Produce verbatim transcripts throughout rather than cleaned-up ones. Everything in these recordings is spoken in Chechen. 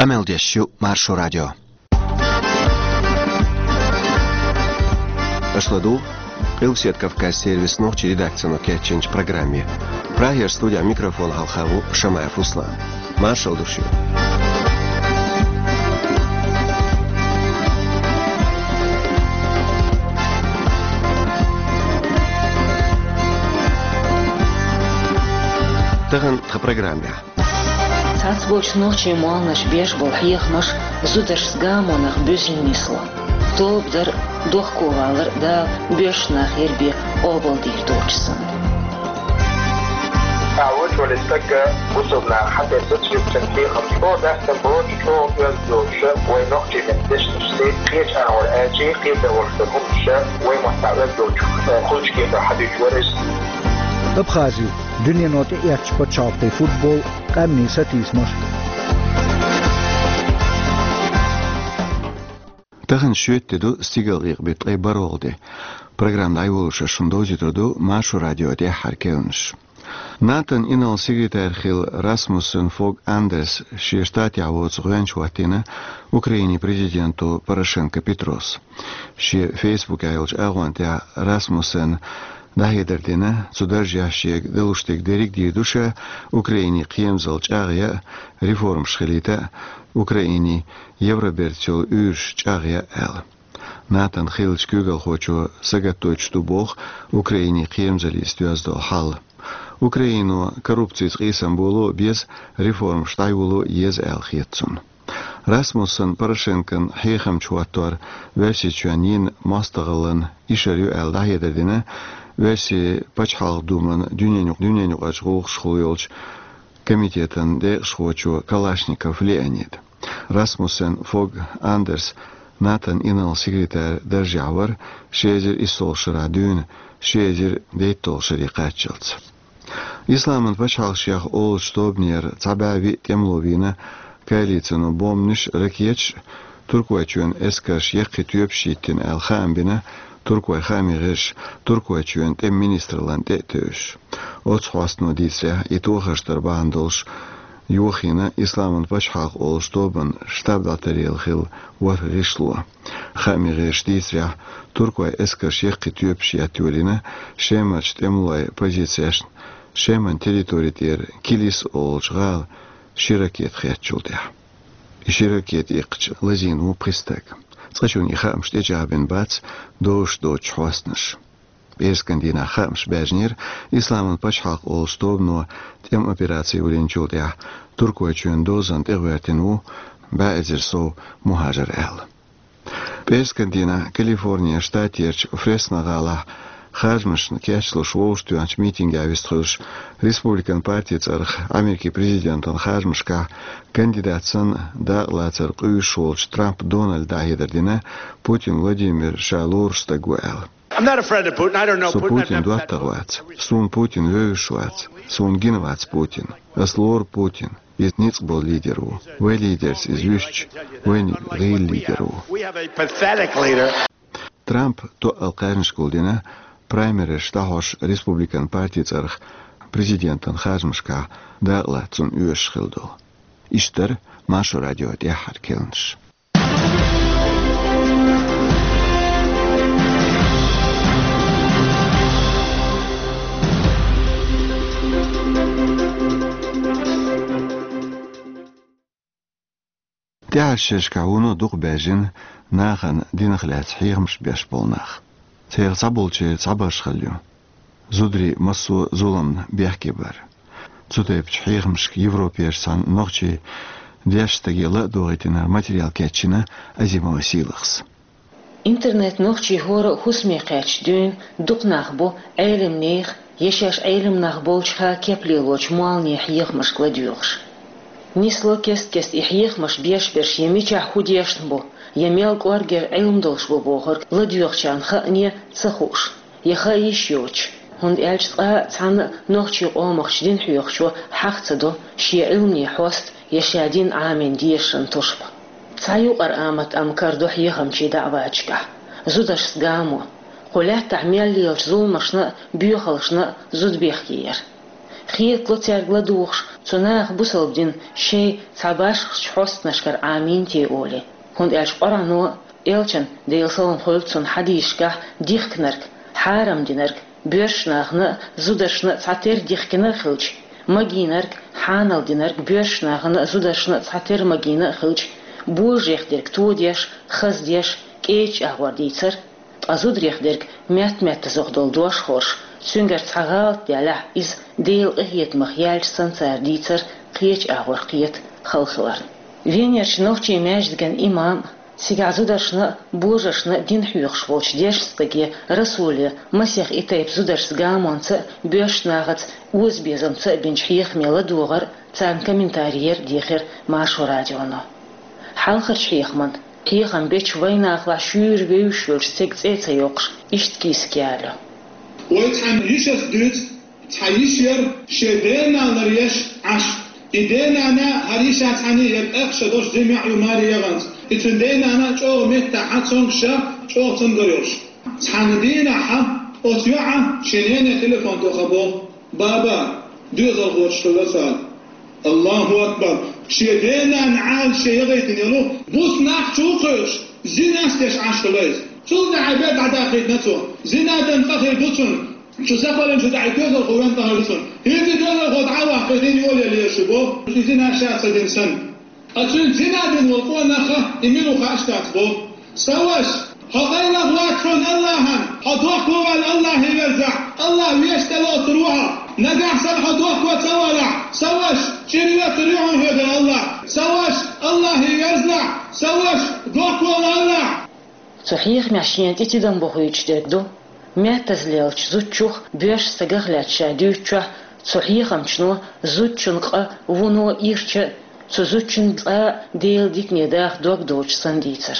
Къамел деш ю Маршо радио. Аша ладугӀу Къилбаседа Кавказан сервисан нохчийн редакцино кечйинчу программе. Прагера студехь микрофон хьалха ву Шамаев Руслан. Маршалла ду шуьга. Тахана тхан программехь. Цхьацца болчу нохчийн молханаш беш болу хьехамаш зударшца гамонах буьззина нисло. Тоба дар а, дохковалар а Дала боьрша нах яр бен къобалдийр доцуш санна. Ахьа вуьйцу вале стаг бусалба наха хьан тера сацийча хьехам чӀогӀа дастам боцуш, чӀогӀа оьзда йолуш, вайн нохчийн меттан дешнаш сайна кхечу агӀор аьлча, кхетар волуш дар хӀуманаш вайн маттахь оьзда йолчух, кхечу кепара хьадуьйцуш вара иза. Абхази. Дуьнено тӀеэцначу пачхьалкхийн футбол, къаьмнийн сатийсамаш. Тахана шоьтан де ду, стигалкъекъа беттан ткъе бархӀалгӀа де. Программа дӀайолош ас шуна довзуьйтур ду Маршо радион тӀаьххьара керланаш. НАТОн инарла секретарь хилла Расмуссен Фог Андерс шен штатехь воцу гӀоьнча хӀоттийна Украинин президенто Порошенко Петрос. Шен фейсбукехь йолчу агӀон тӀехь Расмуссена дӀахьедар дина, цу даржехь шега далуш дерг дерриг а дийр ду ша, Украинин кхерамзалла чӀагӀъян а, реформаш хилийта а, Украинин Евробертаца йолу уьйраш чӀагӀъян а аьлла. НАТОн хиллачу куьйгалхочо сагатдойтуш ду боху Украинин кхерамзаллица доьзна долу хьал. Украино коррупцица къийсам боло а беза, реформаш дӀайоло а еза аьлла хета цунна. Расмуссен Порошенкон хьехамча хӀоттор Оьрсийчоьнна йина мостагӀаллин ишар ю аьлла дӀахьедар дина Оьрсийн Пачхьалкхан Думан дуьненан юкъ-, дуьненан юкъарчу гӀуллакхашкахула йолчу комитетан декъашхочо Калашников Леонида. Расмуссен Фог Андерс НАТОн инарла секретарь даржехь вара ши эзар иссолгӀачу шарахь дуьйна ши эзар дейтталгӀачу шаре кхаччалц. Исламан пачхьалкх шех олучу тобанера цхьа бӀе виъ тӀемало вийна коалицино бомбанаш а, ракеташ а, Туркойчоьнан эскарша яккхий тоьпаш йиттина аьлла хаам бина туркойн хаамийн гӀирсаша, Туркойчоьнан тӀеман министраллина тӀе а тевжаш. Оцу хьостано дийцарехь, и тохарш дар бахьана долуш йохийна Исламан пачхьалкх олучу тобанан штаб дӀатаръяла хилла ворхӀ гӀишло. Хаамийн гӀирсаша дийцарехь, туркойн эскарша яккхий тоьпаш етта йолийна Шемарчу тӀемалойн позицешна, Шеман территори тӀера Килис олучу гӀала ши ракета хеттачул тӀаьхьа. И ши ракета иккхича лазийна ву пхи стаг. Цкъачунна и хаамаш тӀечӀагӀбина бац, дозуш доцучу хьостанаша. ПӀераскан дийнахь хаамаш баьржинера, Исламан пачхьалкх олучу тобано тӀеман операци йолийначул тӀаьхьа Туркойчоьнан дозанна тӀегӀоьртина ву бӀе эзар сов мухӀажар аьлла. ПӀераскан дийнахь Калифорнин штатерчу Фресно гӀалахь харжамашна кечлуш вовшахтоьхначу митингехь вистхуьлуш, республикан партин цӀарах Америкин президентан харжамашкахь кандидат санна дакъалацар къуьйсуш волчу Трамп Дональда дӀахьедар дина Путин Владимир ша лоруш стаг ву аьлла. I'm not a friend of Putin. I don't know Со Putin. I've Путин never met доттагӀа вац. Суна Путин вевзаш вац. Суна гина вац Путин. Ас лору Путин. Иза ницкъ болу лидер ву. Вайн лидерца иза вуьшта, вайна гӀийла лидер ву. We have a pathetic leader. Трамп тоъал кхаьжнаш гулдина, праймеризаш дӀахьош республикан партин цӀарах президентан харжамашкахь дакъалаца цунна оьшуш хилла долу. Иштта дара Маршо радион тӀаьххьара керланаш. ТӀаьхьарчу шерашкахь вуно дукха баьржина нахана динах лаьцна хьехамаш беш болу нах. Церан цхьаболчеран цхьабарш хилла ю зударий массо а зуламна бехке бар. Цу тайпачу хьехамашка Европерчу цхьана нохчийн дешначу стаге ла а дохийтинарг материал кечйина Азимова Сийлахьас. Интернет нохчийн хӀора а хӀусаме кхаьчча дуьйна дукха нах бу Ӏелам нехан я шаьш Ӏелам нах болчу ха кеп лелочу молханийн хьехамашка ладоьгӀуш. Нисло кест-кеста и хьехамаш беш берш я мичахь хӀун дешна бу, я мел кӀоргера Ӏилма долуш бу бохург ладоьгӀучарна хаане а ца хууш, я хаа йиш йоцуш, хӀунда аьлча цкъа а цхьанна а нохчийн къомах дин хьоьхучо хьаха ца до шен Ӏилманийн хьоста я ша дин Ӏамийна дезаран тушбан. Цхьа юкъара амат амма карадо хьехамчийн даӀваташкахь: зударшца гамо, кху лаьттахь мел лелачу зуламашна а, боьхалшна а зуда бехке яр. Хетало цаьрга ладугӀуш, Цу наха бусалба дин шоай цхьа башхача хьостанашкара Ӏамийнтий олий. ХӀунда аьлча Къуръано а, Элчан, Делан салам хуьлда цунна, хьадисашкахь дихкинарг, хьарам динарг боьрша нахана а, зударшна а цхьатера дихкина а хилча, магийнарг, хьанал динарг боьрша нахана а, зударшна а цхьатера магийна а хилча, божарех дерг тодеш, хаздеш, кӀеча агӀор дийцар, ткъа зударех дерг метта-меттаза долу дош хорш, цуьнгара цхьа гӀалат даьллехь, иза Делан къинхетамах яьлча санна цара дийцар кхеча агӀор кхета хала хиларна. Венерчу нохчийн маьждиган имам а, цигахь зударшна а, божаршна а дин хьоьхуш волчу дешна стаге Расуле масех и тайпа зударшца гамонца а, боьрша нахаца озабезамца а бинчу хьехаме ладогӀар а, царна комментарий яр а дийхира Маршо радионо. Хьалхарчу хьехаман, хьехам бечу вайнахалахь шуьйра вевзаш йолчу стеган цӀе а ца йоккхуш, иштта кийсак ялайо. Вай цхьана йишас дуьйцу, цхьа йиша яра шен денанна еш Ӏаш. И денана хӀара йиша цхьаьна яра, тӀаккха ша дош зима йоӀ ю маре яханца. И цуьнан денана чӀогӀа меттахь цомгуш, чӀогӀа цамгар йолуш. Цхьана дийнахь оцу йоӀа шен нене телефон тоха боху: «Баба, доьзалхочух хилла со». Аллаху акбар! Шен денанна Ӏалашъе яхийтина йолу буса нах чу кхуьуш, зинас деш Ӏаш хилла иза. Цул тӀаьхьа бен дӀадахийтина цо. Зина дан цӀа хир ду цунна. Шу сакхаллин шу дӀа и доьзалхо вен тӀе хир ду цунна. ХӀинца и доьзалхо дӀа а вахкий, дин йолаелла шу боху, и зина ша ца дина санна. Ткъа цуьнца зина дина волу къонах и мила ву хууш дац боху. Сан ваша, хьо къайлаха вац хьуна Аллахьан, хьо дохко ваьлла Аллахье верзахь, Аллахь вешан тӀе лоцур ву хьо. Нагахь санна хьо дохко ца валахь, сан ваша, чӀир йоцур ю хьуна хьоьгара Аллахь. Сан ваша, Аллахье верзахь, сан ваша, дохко ваьлла Аллахь. Цу хьехамехь шена тӀе тидам бохуьйтуш дерг ду, меттаза лелачу зудчух, боьрша стагах лаьцна ша дуьйцучохь, цу хьехамчуно зудчун къа вуно ирча а, цу зудчун цкъа а Делан дикане даха дог доцуш санна дийцар.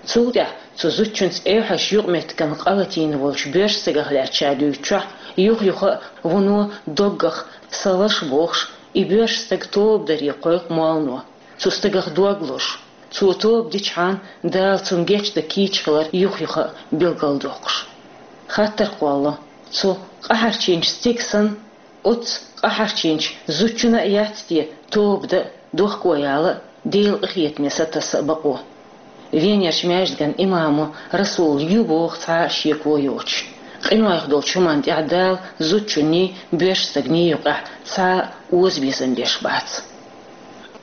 Цул тӀаьхьа цу зудчуьнца эвхьазчу юкъаметтиган къа латийна волчу боьрша стагах лаьцна ша дуьйцучохь, юх-юха а вуно доггах, сан ваша бохуш, и боьрша стаг тоба даре кхойкху моллано, цу стагах дог лозуш. Цо тоба дичхьана, Дала цунна гечдан кийча хилар юх-юха а билгалдоккхуш. Хаттар кхоллало, цу къахьарчийначу стеган санна, оццу къахьарчийначу зудчунна а яц те тоба дан а, дохко яла а, Делан къинхетаме сатасса а бакъо? Венерчу маьждиган имамо Расула ю боху цхьа а шеко йоцуш. Къинойх долчу хӀуманна тӀехь Дала зудчунний, боьрша стагний юкъахь цхьа а озабезам беш бац.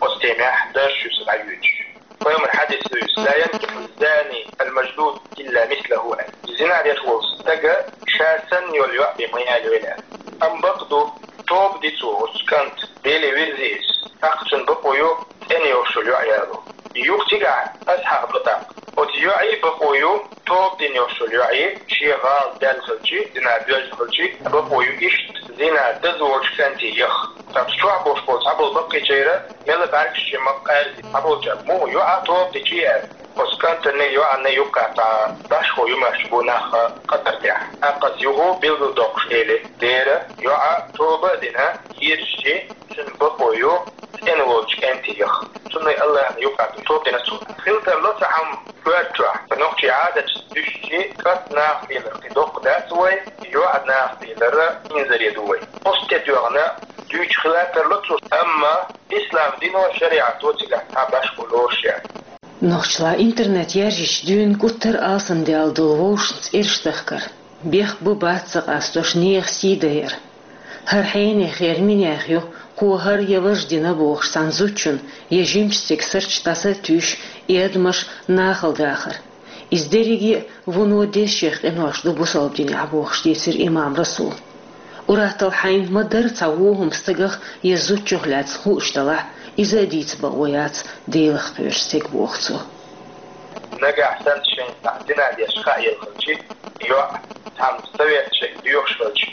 Оцу темехь дарс ю сан дӀайоьдуш. Пайхамар хьадис дуьйцу: «Ла янкихьу зани ал-мажлуд илла мислаху». Зина деш волу стага ша санна йолу йоӀ бен ма ялайойла. Амма бакъ ду, тоба ди цо, оцу кӀант Деле вирзи иза. ТӀаккха цунна бакъо ю цӀена йолуш йолу йоӀ яло. Юха цигахь аса хьаха ду тӀаккха. Оцу йоӀе бакъо ю, тоба дина йолуш йолу йоӀе, шен гӀала даьлла хилчи, зина доьзна хилчи, бакъо ю иштта зина даза волчу кӀанте яха. Ткъа чохь болуш болу цхьаболу баккхийчеран мелла бӀаьргаш чу ма-кхаьрзи, цхьаболчара муха йоӀа тоба дичи аьлла. Оцу кӀантана, йоӀана юккъехь цхьа башхо юмаш бу нах къа тӀера тӀехь. ТӀаккха аса юха билгалдоккхуш элира: дера, йоӀа тоба а дина, йирзичи, цуьнан бакъо ю цӀена волчу кӀанте яха. Цунна Аллахьна юккъехь тоба дина цо. Хила тарло цхьа хӀума коьртачохь, нохчийн Ӏадаташ дуьстичи, кӀант нахаца лелар кхин доккха дац вай, йоӀ нахаца лелар инзаре ду вай. Оцу тӀе доьгӀна дуьйцуш хила тарло цо, амма ислам дино, шариӀато цигахь цхьа башхо лоруш яц. Нохчалла интернет яржича дуьйна гуттар а алсамдаьлла долу вовшашна цӀераш дахкар, бехк бу-бац ца къастош нехан сий дайар. ХӀара хьенех яра минех ю, кхо хӀара я важа дина бохуш цхьана зудчун я жимачу стеган сарч дӀаса а туьйсуш, и адамаш нахала дахар. Иза дерриге а вуно дезачех къинош ду бусалба динехь бохуш дийцира имам Расула. Ур-атталла хьайна ма-дарра цхьа вон хӀума стагах я зудчух лаьцна хууш далахь, иза а дийца бакъо яц Делах кхоьруш стеган, боху цо. Нагахь санна шайна цхьа зина деш хаа елла хилчи, йоӀ цхьамма совет шайга доьхуш хилча,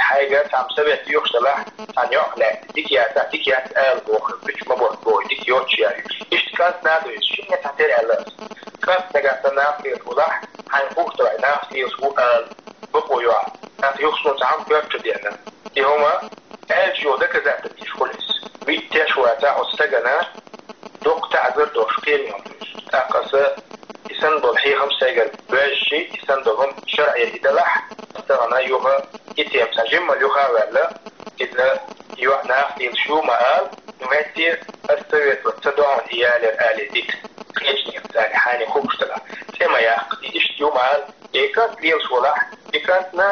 хьайга цхьамма совет доьхуш далахь, цхьана йоӀах лаьцна дика яцахь, дика яц ала боху, гуч ма боху боху, дика йоцуш яра иза. Иштта кӀант нах а ду иза, шинне цхьатера аьлла аса. КӀант нагахь санна нахаца лелаш ву ахь, хьайна хууш далахь нахаца лелаш ву ала, бакъо ю ахь. ТӀаккха юха суна цхьа хӀума коьрта чу деана. И хӀума аьлча йолу доказательстваш хуьлу иза. Виттеш вацахь оцу стагана доккха таӀзар долуш кхерам ю иза. ТӀаккха аса и санна болу хьехам сайгара боьжчи, и санна долу хӀума шарӀера и далахь, тахана юха и тема цхьа жимма юха а ваьлла, иза йоӀ нах лелаш ю ма ала, ну, хӀетте ас советовать ца до хьона и ялар алий дита. Кхечнех царна хьани хубуш дала. ЦӀе ма яккха, и иштта ю ма ала, и кӀант лелаш волахь, и кӀантна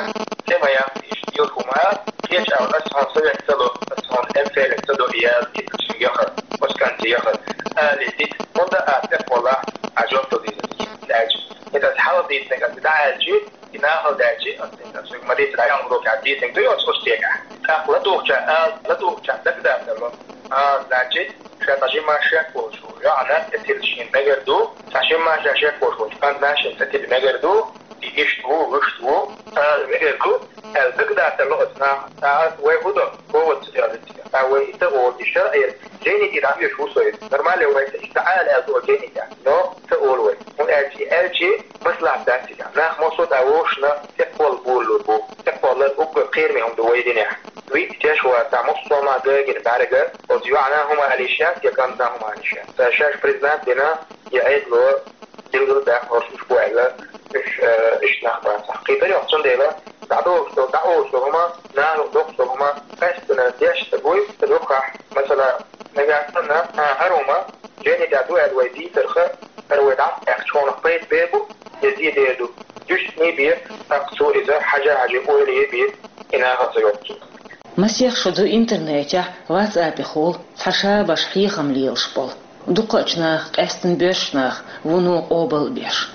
цӀе ма яккха, и иштта лелаш ву ма ала, кхеча ала, ас хьона совет ца ло, ас хьона эмфелин ца до и яла дита, шин яхар, осканти яхар, алий дита, хӀунда а тӀехвалахь, а жоп дал дийза. Лаьча. ХӀета ас хьалха дийцинарг ас дӀааьлчи, и нахала даьлчи, ас дийцинарг, ма дийцар, а ял урок а дийцинарг ду, йоцу ош тега. ТӀаккха ладугӀуча, а, ладугӀуча дагадатарло. А, значит, ша цхьа жимма шек волуш ву. ЙоӀана тӀе тилла шена мегар ду. Цхьа жимма ша шек волуш волчу кӀантана шена тӀе тилла мегар ду. И иштта ву, вуьшта ву, ала мегар ду, аьлла дагадатарло оцу наха. ТӀаккха вай хӀун до? Воват ца делла. ТӀаккха вай иштта олу, и шарӀера жени и дӀахьоьжуш ву со иза. Нормально вай ца иштта Ӏала аьлла ду оцу жени тӀехь. Но ца олу вай. ХӀунда аьлча и аьлчи, маслахьат дац и тӀехь. Нах массо а тӀе вовшашна тӀекхолла болалур бу. ТӀекхоллар уггар кхераме хӀума ду вай динехь. Виъ теш вацахь, массо а ма гагина бӀаьрга, оцу йоӀана хӀума алийша, я кӀантана хӀума алийша. Ца шаьш признать дина, я Ӏедало, дилгал баьхна хӀорш уьш бу аьлла, уьш, э, иштта нах бацахь. Кхетар йоккху, цундела, дӀадолуш долу, дӀаолуш долу хӀума, нахана доккхуш долу хӀума, къаьстина деш ца буй, ца дукхахь, масала, нагахь санна, а, хӀара хӀума, жени тӀехь ду аьлла вай дийцарх, хӀара вай дӀа а аьхча, хьуна пайда бер бу, я зе дер ду. Дуьсне бе, тӀаккха цо иза хьажа-хьажи ойла е бе, и нахана ца йоккху. Масех шо ду интернетехь, WhatsApp-ехула цхьа шабаш хьехам лелаш болу. Дукхачу наха, къаьстина боьрша наха, вуно къобал а беш.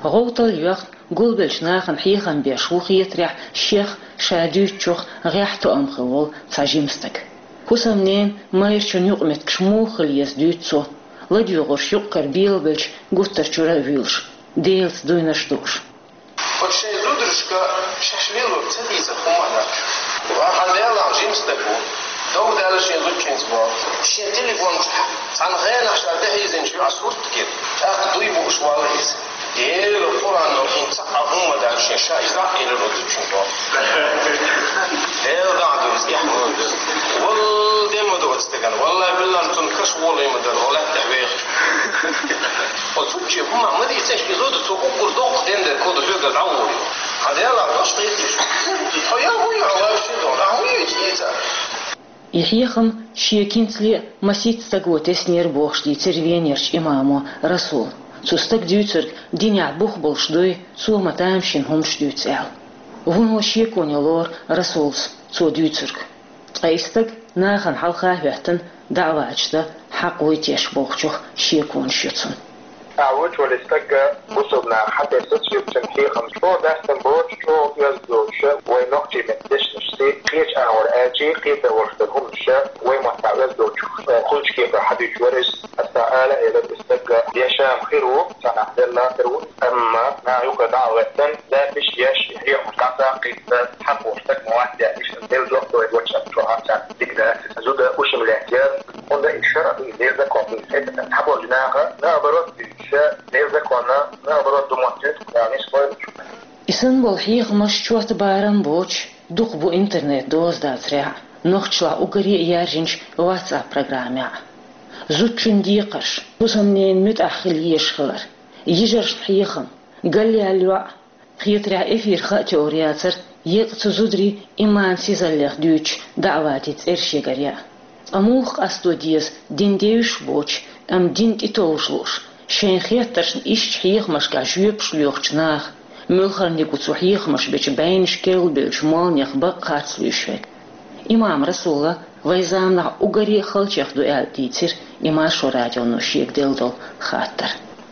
ГӀовтал а йоьхна, гулбеллачу нахана хьехам беш ву хетарехь шех, ша дуьйцучух гӀехь тоам хилла волу цхьа жима стаг. ХӀусамненан майрачун юкъаметтигаш муха хила еза дуьйцу цо, ладоьгӀурш юкъ-кара белабелча гуттар а чуьра а вуьйлуш, Делаца дуйнарш дууш. Оцу шайн зударшка шаьш лелорг ца дийцар хӀумма а дац. Ва хьан Делахь жима стаг ву. Дов даьлла шен зудчуьнца боху. Шен телефон чохь цхьана хенахь ша тӀехьийзинчу йоӀа сурт гира. ТӀаккха дуй бууш валла иза. Эла Къуръано хӀинца цхьа а хӀумма дац шен, ша иза а элира оцу зудчуьнга боху. Эла дӀа а ду иза, эхь ма ду иза. Валла де ма ду оцу стеган. Валла биллан цунна каш волий ма дара, гӀо лаьттахь вехачу. Оцу зудче хӀума ма дийцинчу, и зуда цо уггар доккха дендер кода хьоьгара дӀаволийла. Хьан Делахь дош кхетийша. Хьо я хӀун ю, хьо вайша ду, ахьа хӀун ю иза? И хьехам шен кӀентан цӀе масийтта стага теснера бохуш дийцира Венерчу имамо Расула. Цу стага дуьйцург динехь бух болуш дуй, цо ма тамашийна хӀуманаш дуьйцу аьлла. Вуно шеконе лору Расулас цо дуьйцург. Ткъа и стаг нахана хьалха а хӀоьттина, даӀваташ дан хьакъ вуй теша бохучух шеконаш ю цуьнан. Ахьа вуьйцу вале стаг бусулба наха хьатерсац, юьртан хьехам чӀогӀа дастам боцуш, чӀогӀа оьзда доцуш, вай нохчийн меттан дешнашций, кхечу агӀор аьлчий, кхетар волуш долу хӀуманаш вай маттахь оьзда доцуш, кхулчу кепара хьадуьйцуш вара иза. Аса ала элира, и стаг дешам хир ву, цхьа нах делла хир ву, амма наха юха дӀа а гӀоьттина, запись еш, и хьехамаш дӀа ца кхийтта, хьан боху стаг ма вац, иштта делла дохко вай ваччахь чохь а ца дика дац. Зуда ушим лаьттера, хӀунда и шарӀ ду, и Делан закон ду, и хӀета цхьаболчу наха, наоборот, ша Делан законна, наоборот, ду моттуьйту, Куръан исс хойла чу. И санна болу хьехамаш чот барам боцуш, дукха бу интернет доза дацарехь, нохчашлахь уггаре а яьржинчу WhatsApp программехь. Зудчун декхарш, хӀусамненан муьтӀахь хила езаш хилар, йижаршна хьехам, галъяьлла йоӀ, хетарехь эфир хаа теорияцара, еккъа цу зударий иман сизаллех дуьйцуш даӀватийн цӀерш ягар яа. Ткъа муха къасто деза дин девзаш а боцуш, амма дин тӀетовжа лууш, шайн хеттаршна иштта хьехамашкахь жоьпаш лоьхучу наха, муьлхарниг ву цу хьехамаша бечу байнаш керлабевллачу молланех бакъ харц луьйш верг. Имам Расула вайн заманахь уггаре а халчех ду аьлла дийцира и Маршо радионо шега делла долу хаттар.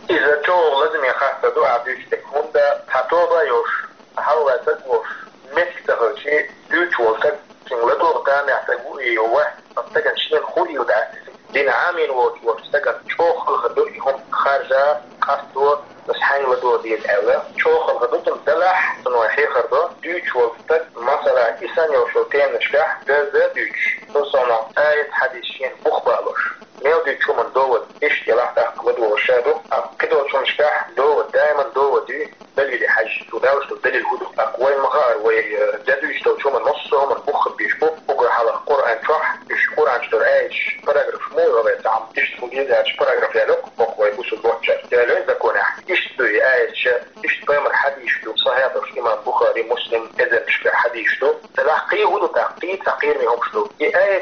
Иза чӀогӀа лазаме хаттар ду ахь дуьйцу дерг, хӀунда цхьа тоба а йолуш, хьалха стаг волуш, меттиг ца хилча, дуьйцуш волу стаг, цуьнга ладогӀа тамехь стаг ву и ю вац, оцу стагана шена хӀун уйла дац иза. Дин Ӏамийна воцуш волчу стагана чӀогӀа хала хир ду и хӀума харжа, къасто, аса хьаьнга ладогӀа деза аьлла. ЧӀогӀа хала хир ду цунна, делахь, цунна вай хьехар до, дуьйцуш волу стаг, масала, и санна йолчу теманашкахь даздан а дуьйцуш, цул совнаха аят, хьадис шена бух балош. Мел дуьйцучу хӀуманна довод, иштта елахь тӀаккха ладогӀа ша ду, а кхидолчу хӀуманашкахь довод, даиман довод ю, далиле хьаьжча, цо далуш долу далил хӀун ду? ТӀаккха вайна ма хаара, вай, э, де дуьйцуш долчу хӀуманна, массо а хӀуманна бух хир беш бу, уггар хьалха Къуръан чохь, уьш Къуръан чу долу аяташ, параграф муха ю, вай цхьа хӀума иштта хӀун деза аьлча, параграф яьлла, хӀокху вай бусулба воччара. Делан законехь иштта ду и аяташ, иштта пайхамаран хьадисаш ду, сахьихь долуш имам Бухари, Муслим, эзарнашкахь хьадисаш ду. Делахь кхин хӀун ду тӀаккха, кхин цхьа кхераме хӀумаш ду. И аят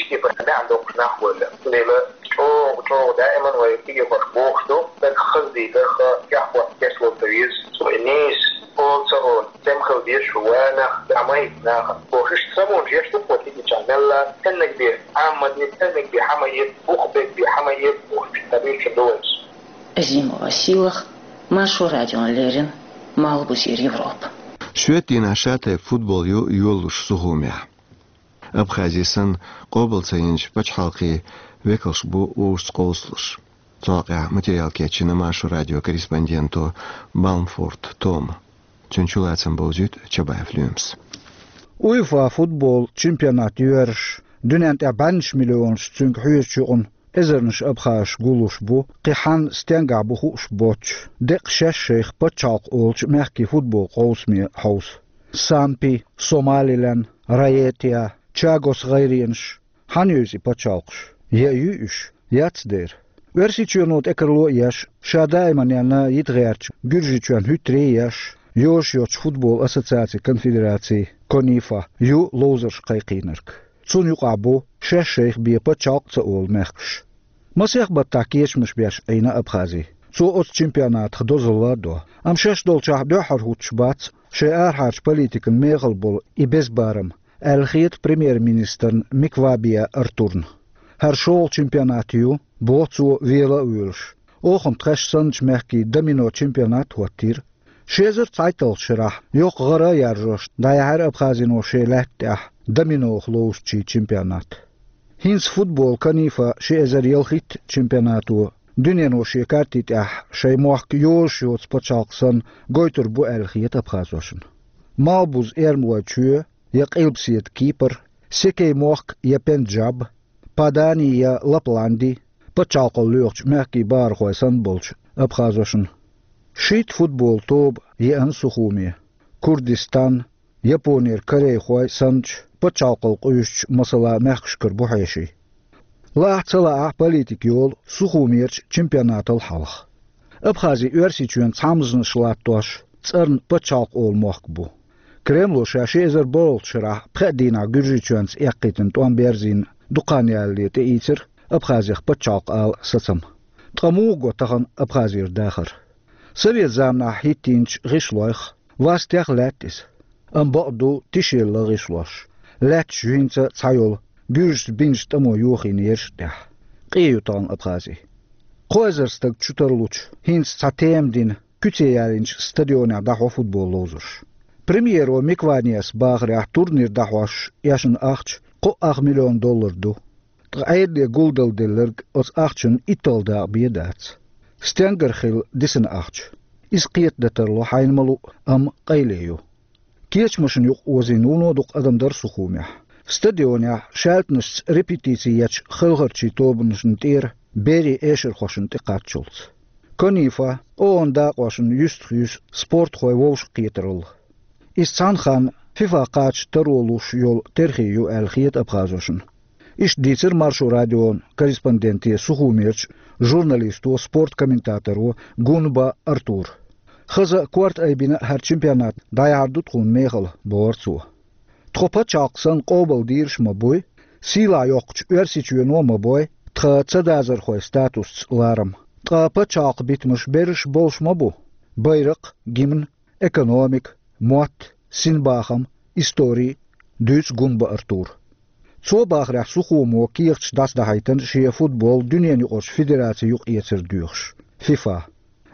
Кепара баьхьа доккхуш нах валла. Дела чӀогӀа, чӀогӀа даиман вай кегийрхошка бохуш ду, стаг хаза дийцарх тӀехь хӀотта кечвала ца веза, цо и нийса ола ца ола, цӀена хила дезаш ву ванах, дӀа ма йита нахана. Бохуш, самонаш еш ду-кх вай кегийчарна мелла, цӀеннаг бен Ӏамма де, цӀеннаг бен хьама эца, бух бен бен хьама эца бохуш, ца буьйцуш ду вайца. Азимова Сийлаха, Маршо радиона леррина, Малхбузера Европа. Шоьтан дийнахь шатайпа футбол ю йолалуш Сухумехь. Абхази санна, къобал ца йинчу пачхьалкхийн векалш бу вовшашца къовсалуш. Цу хьокъехь материал кечйина Маршо радион корреспонденто Балмфорт Тома. Цуьнан чулацам бовзуьйту Чабаев Лоьмас. УЕФА футбол чемпионат йоьрзуш, дуьнен тӀехь бӀеннаш миллионаш цуьнга хьоьжучу юкъана эзарнаш абхазаш гуллуш бу, кхин хьан стенгахь бу хууш боцуш, деккъа шаьш шайх пачхьалкх олучу мехкийн футбол къовсаме хьовса. Сампи, Сомалилен, Раетия, Чагос гӀайренаш, хьан ю иза и пачхьалкхаш? Я ю уьш, яц дера. Оьрсийчоьно тӀекарло а еш, ша даиманна йита гӀертачу Гуьржийчоьнна хӀуьттаре а еш, йозуш йоцчу футбол ассоциацийн конфедераци, КОНИФА, ю ловзарш кхайкхийнарг. Цунна юкъахь бу шаьш шайх бен пачхьалкх а ца олу мехкаш. Масех баттахь кечамаш беш Ӏийна Абхази. Цо оцу чемпионатах дозалла а до. Амма шаьш долчохь дуьххьара хӀуттуш бац шайн арахьарчу политикан мехала болу и беза барам, аьлла хета премьер-министрна Миквабиа Артурна. ХӀара шолгӀа чемпионат ю, боху цо, вела а воьлуш. Оха-м тхаьш санначу мехкийн домино чемпионат а хӀоттийра. Ши эзар цхьайтталгӀачу шарахь йоккха гӀара а яржош дӀаяьхьира Абхазино шен лаьтта тӀехь доминох ловзучийн чемпионат. ХӀинца футбол КОНИФА ши эзар ялхитта чемпионато дуьнено шен карти тӀехь шайн мохк йозуш йоцу пачхьалкх санна гойтур бу аьлла хета абхазошна. Малхбуза Эрмалойн чоь я Къилбаседа Кипр, Секей-мохк я Пенджаб, Падани я Лапланди, пачхьалкхалла лоьхучу мехкийн бахархой санна болчу абхазошна. Шийтта футбол тоба еана Сухуме. Курдистан, Японера корейхой санначу пачхьалкхалла къуьйсучу, масала, мехкашкара бу хьеший. Лаахь а ца лаахь а политика йолу Сухумерчу чемпионатал хьалха. Абхази Оьрсийчоьнца хьамзанаш латтош цӀарна пачхьалкх олу мохк бу. Кремло ша ши эзар бархӀалгӀачу шарахь пхеа дийнахь Гуьржийчоьнца эккхийтина тӀом берзийна дукха хан ялале тӀеийцира Абхазех пачхьалкх ала сацам. Ткъа муха го тахана Абхазера дахар? Совет заманахь хӀиттийначу гӀишлойх, вастех лаьтта иза. Амма бакъ ду тишъелла гӀишлош. Лаьтташ жуьйнца цхьайолу, гуьржашца бинчу тӀамо йохийнераш а тӀехь. Къе ю тахана Абхази. Кхо эзар стаг чу тарлучу, хӀинца цхьа тема дина, куьце ялийначу стадионехь дӀахьо футбол ловзарш. Премьеро Микваниас бахарехь, турнир дӀахьош эшна ахча кхо ах миллион доллар ду. Ткъа Ӏедале гулдалла делларг оцу ахчанан итталгӀа дакъа бен дац. Стенгара хилла дисина ахча? Иза кхетадан тарло хьайна ма луъу, амма къайле ю. Кечамашна юкъа озийна вуно дукха адам дара Сухумехь. Стадионехь шаьлтанашца репетици ечу хелхарчийн тобанашна тӀера берийн эшархошна тӀекхаччалц. КОНИФА, ООН дакъошна юьстах юьсу спортхой вовшахкхетаралла. Иза цхьана ханна ФИФА кхача таро луш йолу терхий ю аьлла хета абхазошна. Иштта дийцира Маршо радион корреспонденте Сухумерчу журналисто, спорт комментаторо Гунба Артура. Хаза а, корта айбина а хӀара чемпионат дӀаяхьар ду тхуна мехала, бохура цо. Тхо пачхьалкх санна къобал дийраш а ма буй, сийлахь йоккхучу Оьрсийчоьно а ма бой тхан цадазархойн статусца ларам. Ткъа пачхьалкхан битамаш берриш а болуш ма бу: байракх, гимн, экономика, мотт, синбахам, истори, дуьйцу Гунба Артура. Цо бахарехь, Сухумо кехаташ дӀасадахьийтина шен футбол дуьненаюкъарчу федерацийн юкъаэцар доьхуш, ФИФА.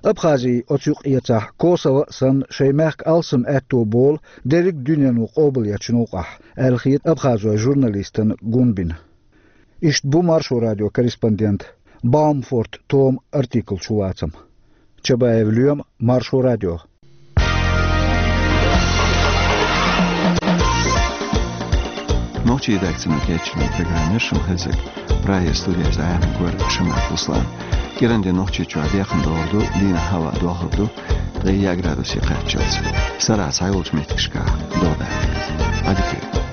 Абхази оцу юкъаэцахь, Косово а санна, шайн мехкан алсам аьтто болу дерриг а дуьнено къобалъечу новкъахь, аьлла хета абхазойн журналистана Гунбина. Иштта бу Маршо радион корреспондент Балмфорт Тома артиклан чулацам. Чабаев Лоьма, Маршо радио. Нохчийн редакцино кечйина программа яра шуна хезнарг. Прагера студехь иза Ӏамийна вара Шамаев Руслан. КӀиран де Нохчийчохь декхна догӀур ду, дийнахь хӀаваъ дохур ду ткъе яа градусе кхаччалц. Сарахь цхьайолчу меттигашкахь догӀа даккхар. Ӏадика.